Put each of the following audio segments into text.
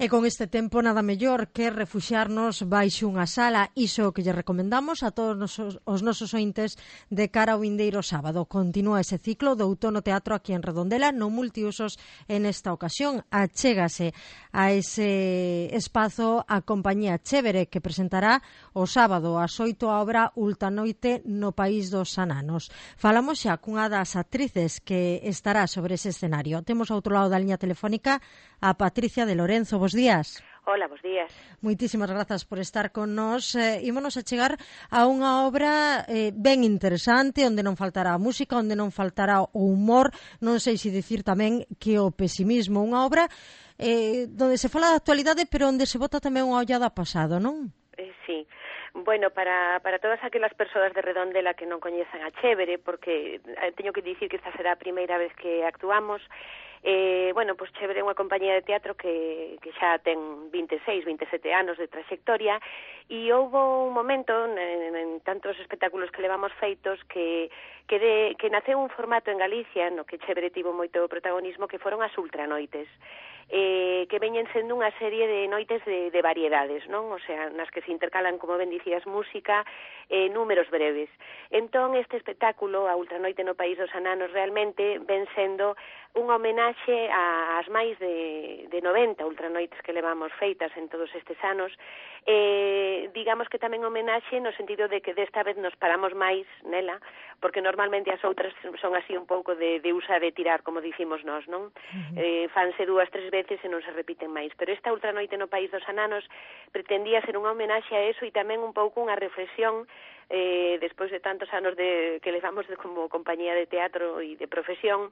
E con este tempo nada mellor que refuxiarnos baixo unha sala, iso que lle recomendamos a todos os nosos ointes de cara ao vindeiro sábado. Continúa ese ciclo do Outono Teatro aquí en Redondela, no multiusos. En esta ocasión achégase a ese espazo a compañía Chévere, que presentará o sábado ás 8 a obra Ultranoite no País dos Ananos. Falamos xa cunha das actrices que estará sobre ese escenario. Temos ao outro lado da liña telefónica a Patricia de Lorenzo. Bos días. Hola, bos días. Moitísimas grazas por estar con nós. Ímonos a chegar a unha obra ben interesante, onde non faltará a música, onde non faltará o humor, non sei se dicir tamén que o pesimismo. Unha obra onde se fala da actualidade, pero onde se bota tamén unha ollada a pasado, non? Sí. Bueno, para todas aquelas persoas de Redondela que non coñezan a Chévere, porque teño que dicir que esta será a primeira vez que actuamos. Bueno, pois Chévere é unha compañía de teatro que xa ten 26, 27 anos de trayectoria, e houve un momento en tantos espectáculos que levamos feitos que naceu un formato en Galicia no que Chévere tivo moito protagonismo, que foron as ultranoites, que veñen sendo unha serie de noites de variedades, non? O sea, nas que se intercalan, como ben dicías, música e números breves. Entón, este espectáculo, a Ultranoite no País dos Ananos, realmente ven sendo unha homenaxe ás máis de 90 ultranoites que levamos feitas en todos estes anos. Digamos que tamén homenaxe no sentido de que desta vez nos paramos máis nela, porque normalmente as outras son así un pouco de usar e tirar, como dicimos nós, non? Fanse 2, 3 veces e non se repiten máis. Pero esta Ultranoite no País dos Ananos pretendía ser unha homenaxe a eso e tamén un pouco unha reflexión despois de tantos anos que levamos como compañía de teatro e de profesión,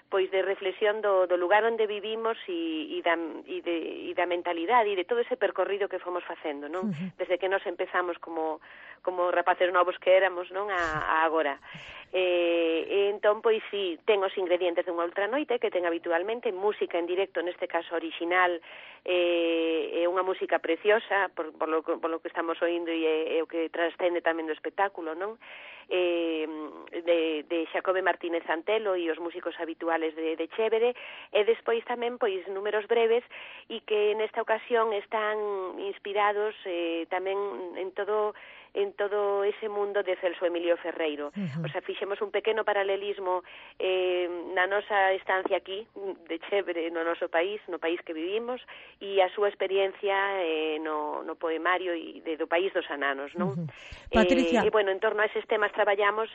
pois de reflexión do lugar onde vivimos e da mentalidade e de todo ese percorrido que fomos facendo, non? Desde que nos empezamos como rapaces novos que éramos, non? A agora. Entón, pois sí, ten os ingredientes dunha ultranoite que ten habitualmente, música en directo, neste caso original, é unha música preciosa por lo que estamos oindo e o que trascende tamén do espectáculo, non? De Xacobe Martínez Antelo e os músicos habituales de Chévere, e despois tamén pois números breves e que nesta ocasión están inspirados tamén en todo ese mundo de Celso Emilio Ferreiro. O sea, fixemos un pequeno paralelismo na nosa estancia aquí de Chévere no noso país, no país que vivimos, e a súa experiencia no poemario do País dos Ananos, non? Patricia. E bueno, en torno a eses temas traballamos,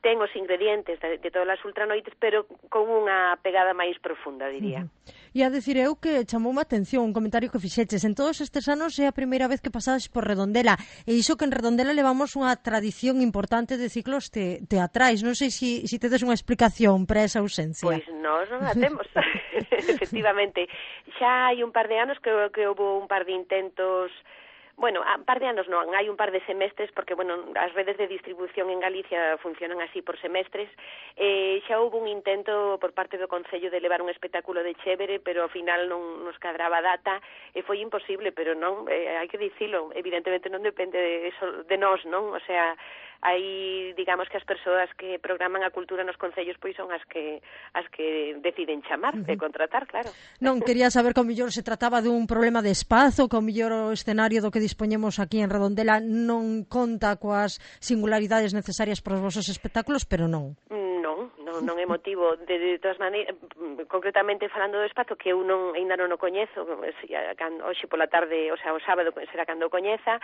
ten os ingredientes de todas as ultranoites, pero con unha pegada máis profunda, diría. E a decir eu que chamoume a atención un comentario que fixeches. En todos estes anos é a primeira vez que pasades por Redondela, e iso que en Redondela levamos unha tradición importante de ciclos teatrais. Non sei se tedes unha explicación para esa ausencia. Pois nós non a temos, efectivamente. Xa hai un par de anos que houve un par de intentos. Bueno, un par de anos non, hai un par de semestres, porque, bueno, as redes de distribución en Galicia funcionan así por semestres. Xa houve un intento por parte do Concello de levar un espectáculo de Chévere, pero ao final non nos cadraba a data, e foi imposible, pero non, hai que dicilo, evidentemente non depende de nós, non? O sea, hai, digamos que as persoas que programan a cultura nos concellos pois son as que deciden chamar e contratar, claro. Non, quería saber que ao mellor se trataba dun problema de espazo, que ao mellor o escenario do que dispoñemos aquí en Redondela non conta coas singularidades necesarias para os vosos espectáculos, pero non. Non é motivo, de todas maneiras, concretamente falando do espazo, que eu ainda non o coñezo, hoxe pola tarde, o sea, o sábado será cando o coñeza,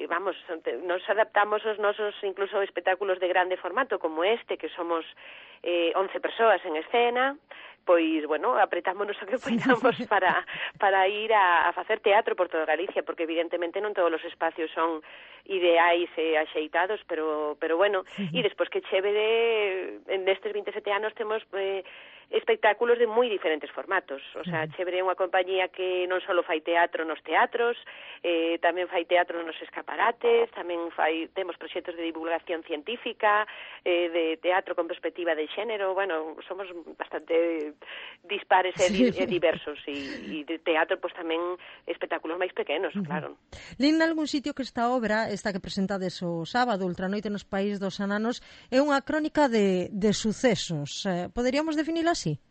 vamos, nos adaptamos os nosos incluso espectáculos de grande formato como este, que somos 11 persoas en escena, pois, bueno, apretámonos o que poidamos para ir a facer teatro por toda Galicia, porque evidentemente non todos os espacios son ideais e axeitados, pero bueno, e despois que Chévere, nestes 27 anos temos espectáculos de moi diferentes formatos. O sea, Chévere é unha compañía que non só fai teatro nos teatros, tamén fai teatro nos escaparates, tamén temos proxectos de divulgación científica, de teatro con perspectiva de xénero. Bueno, somos bastante dispares e diversos, e de teatro pois tamén espectáculos máis pequenos, claro. Lin algún sitio que esta obra, esta que presentades o sábado, Ultranoite nos País dos Ananos, é unha crónica de sucesos. Poderíamos definila así?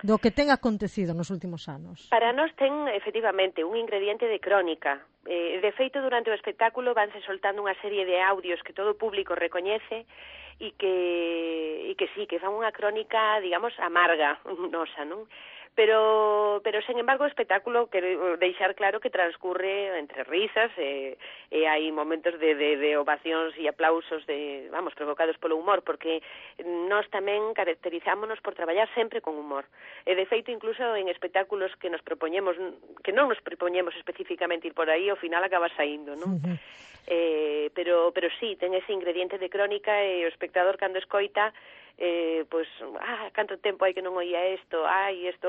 do que ten acontecido nos últimos anos. Para nós ten, efectivamente, un ingrediente de crónica. De feito, durante o espectáculo vanse soltando unha serie de audios que todo o público recoñece e que sí, que fan unha crónica, digamos, amarga, nosa, non? Pero sen embargo, o espectáculo quero deixar claro que transcurre entre risas e hai momentos de ovacións e aplausos provocados polo humor, porque nós tamén caracterizámonos por traballar sempre con humor. E de feito, incluso en espectáculos que non nos propoñemos especificamente ir por aí, ao final acaba saindo, non? Pero sí, ten ese ingrediente de crónica e o espectador cando escoita canto tempo hai que non oía isto,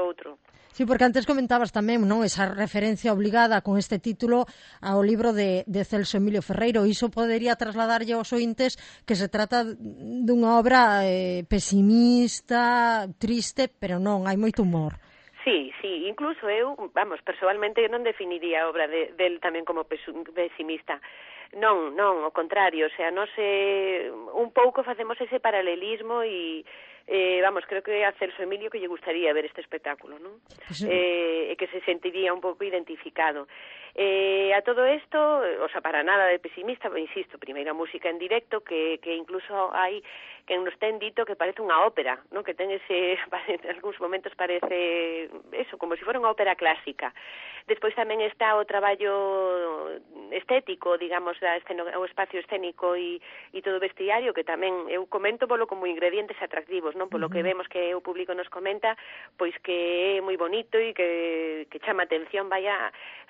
outro. Sí, porque antes comentabas tamén, non, esa referencia obligada con este título ao libro de Celso Emilio Ferreiro. Iso podería trasladarlle aos ointes que se trata dunha obra pesimista, triste, pero non, hai moito humor. Sí, incluso eu, persoalmente non definiría a obra del tamén como pesimista. Non, ao contrario, o sea, un pouco facemos ese paralelismo e creo que a Celso Emilio que lle gustaría ver este espectáculo, non? Pues, e que se sentiría un pouco identificado. A todo isto, para nada de pesimista, insisto, primeira música en directo que incluso hai quen nos ten dito que parece unha ópera, non? Que ten en algúns momentos parece eso, como se fora unha ópera clásica. Despois tamén está o traballo estético, digamos, o espacio escénico e todo o vestiario, que tamén eu comento polo como ingredientes atractivos, non? Polo que vemos que o público nos comenta, pois que é moi bonito e que chama atención,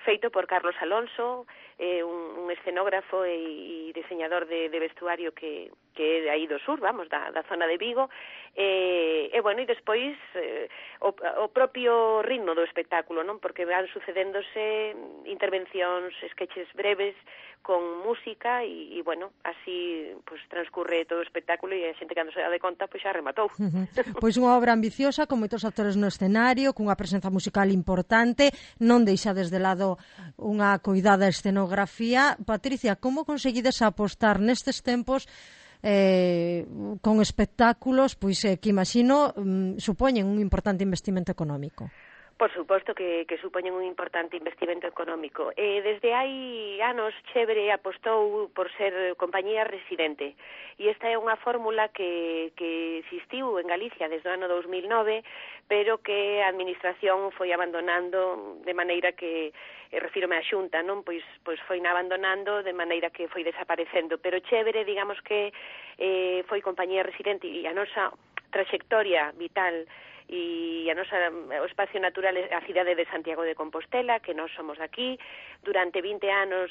feito por Carlos Alonso, un escenógrafo e diseñador de vestuario que é de aí do sur, da zona de Vigo, e despois o propio ritmo do espectáculo, non? Porque van sucedéndose intervencións, sketches breves con música e así transcurre todo o espectáculo e a xente cando se dá de conta xa rematou. Pois unha obra ambiciosa con moitos actores no escenario, cunha presenza musical importante, non deixa desde lado unha coidada escenografía. Patricia, como conseguides apostar nestes tempos con espectáculos que imagino supoñen un importante investimento económico? Por suposto que supoñen un importante investimento económico. Desde hai anos, Chévere apostou por ser compañía residente. E esta é unha fórmula que existiu en Galicia desde o ano 2009, pero que a Administración foi abandonando de maneira que, refírome á Xunta, non? Pois foi abandonando de maneira que foi desaparecendo. Pero Chévere, digamos que foi compañía residente e a nosa trayectoria vital e o espacio natural é a cidade de Santiago de Compostela, que nós somos aquí. Durante 20 anos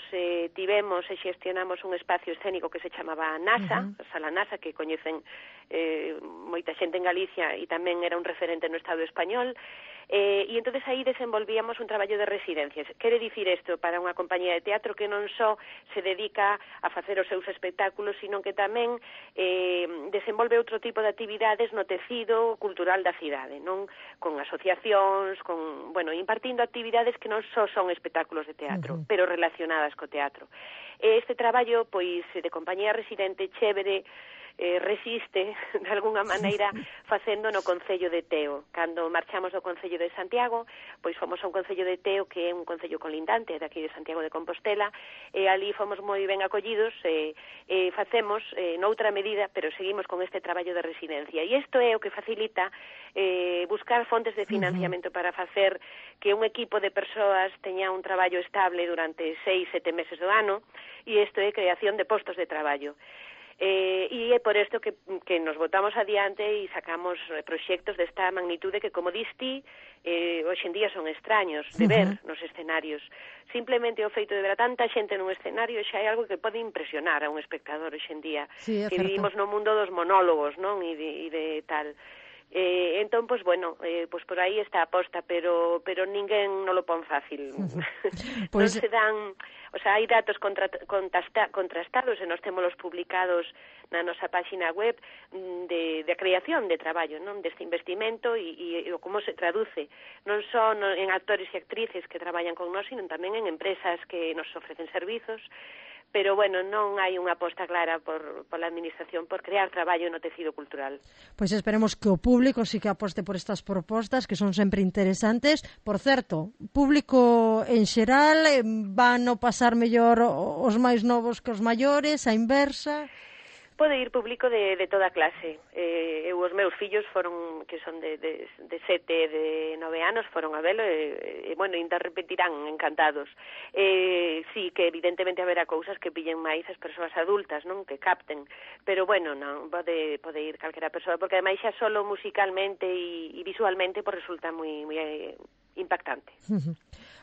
tivemos e xestionamos un espacio escénico que se chamaba NASA, Sala NASA, que coñecen moita xente en Galicia e tamén era un referente no Estado español. E entonces aí desenvolvíamos un traballo de residencias. Quere dicir isto para unha compañía de teatro que non só se dedica a facer os seus espectáculos, sino que tamén desenvolve outro tipo de actividades no tecido cultural da cidade, non? Con asociacións, impartindo actividades que non só son espectáculos de teatro, pero relacionadas co teatro. Este traballo, de compañía residente, Chévere, resiste, de alguna maneira, facendo no Concello de Teo. Cando marchamos do Concello de Santiago, fomos a un Concello de Teo que é un concello colindante de aquí de Santiago de Compostela, e ali fomos moi ben acollidos e facemos noutra medida, pero seguimos con este traballo de residencia. E isto é o que facilita buscar fontes de financiamento para facer que un equipo de persoas teña un traballo estable durante 6-7 meses do ano, e isto é creación de postos de traballo. E é por isto que nos botamos adiante e sacamos proxectos desta magnitude que, como diste, hoxe en día son extraños de ver nos escenarios. Simplemente o feito de ver a tanta xente nun escenario xa é algo que pode impresionar a un espectador hoxe en día, que vivimos no mundo dos monólogos, non? E de tal. Entón, por aí está a aposta, pero ninguén non lo pon fácil. Non se dan, hai datos contrastados e nós témolos publicados na nosa página web de creación de traballo, non? Deste investimento e como se traduce, non só en actores e actrices que traballan con nós, sino tamén en empresas que nos ofrecen servizos, pero, bueno, non hai unha aposta clara pola Administración por crear traballo no tecido cultural. Pois esperemos que o público sí que aposte por estas propostas, que son sempre interesantes. Por certo, público en xeral, van a pasar mellor os máis novos que os maiores, a inversa? Pode ir público de toda clase. Os meus fillos foron, que son de 7 e de 9 anos, foron a velo e bueno, ainda repetirán encantados. Sí, que evidentemente haberá cousas que pillen máis as persoas adultas, non? Que capten. Pero bueno, non, pode ir calquera persoa, porque ademais xa solo musicalmente e visualmente pues resulta moi impactante.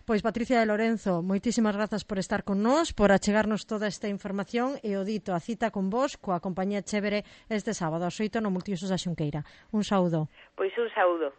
Pois Patricia de Lorenzo, moitísimas grazas por estar con nós, por achegarnos toda esta información e o dito, a cita con vos coa compañía Chévere este sábado ás 8 no Multiusos da Xunqueira. Un saúdo. Pois un saúdo.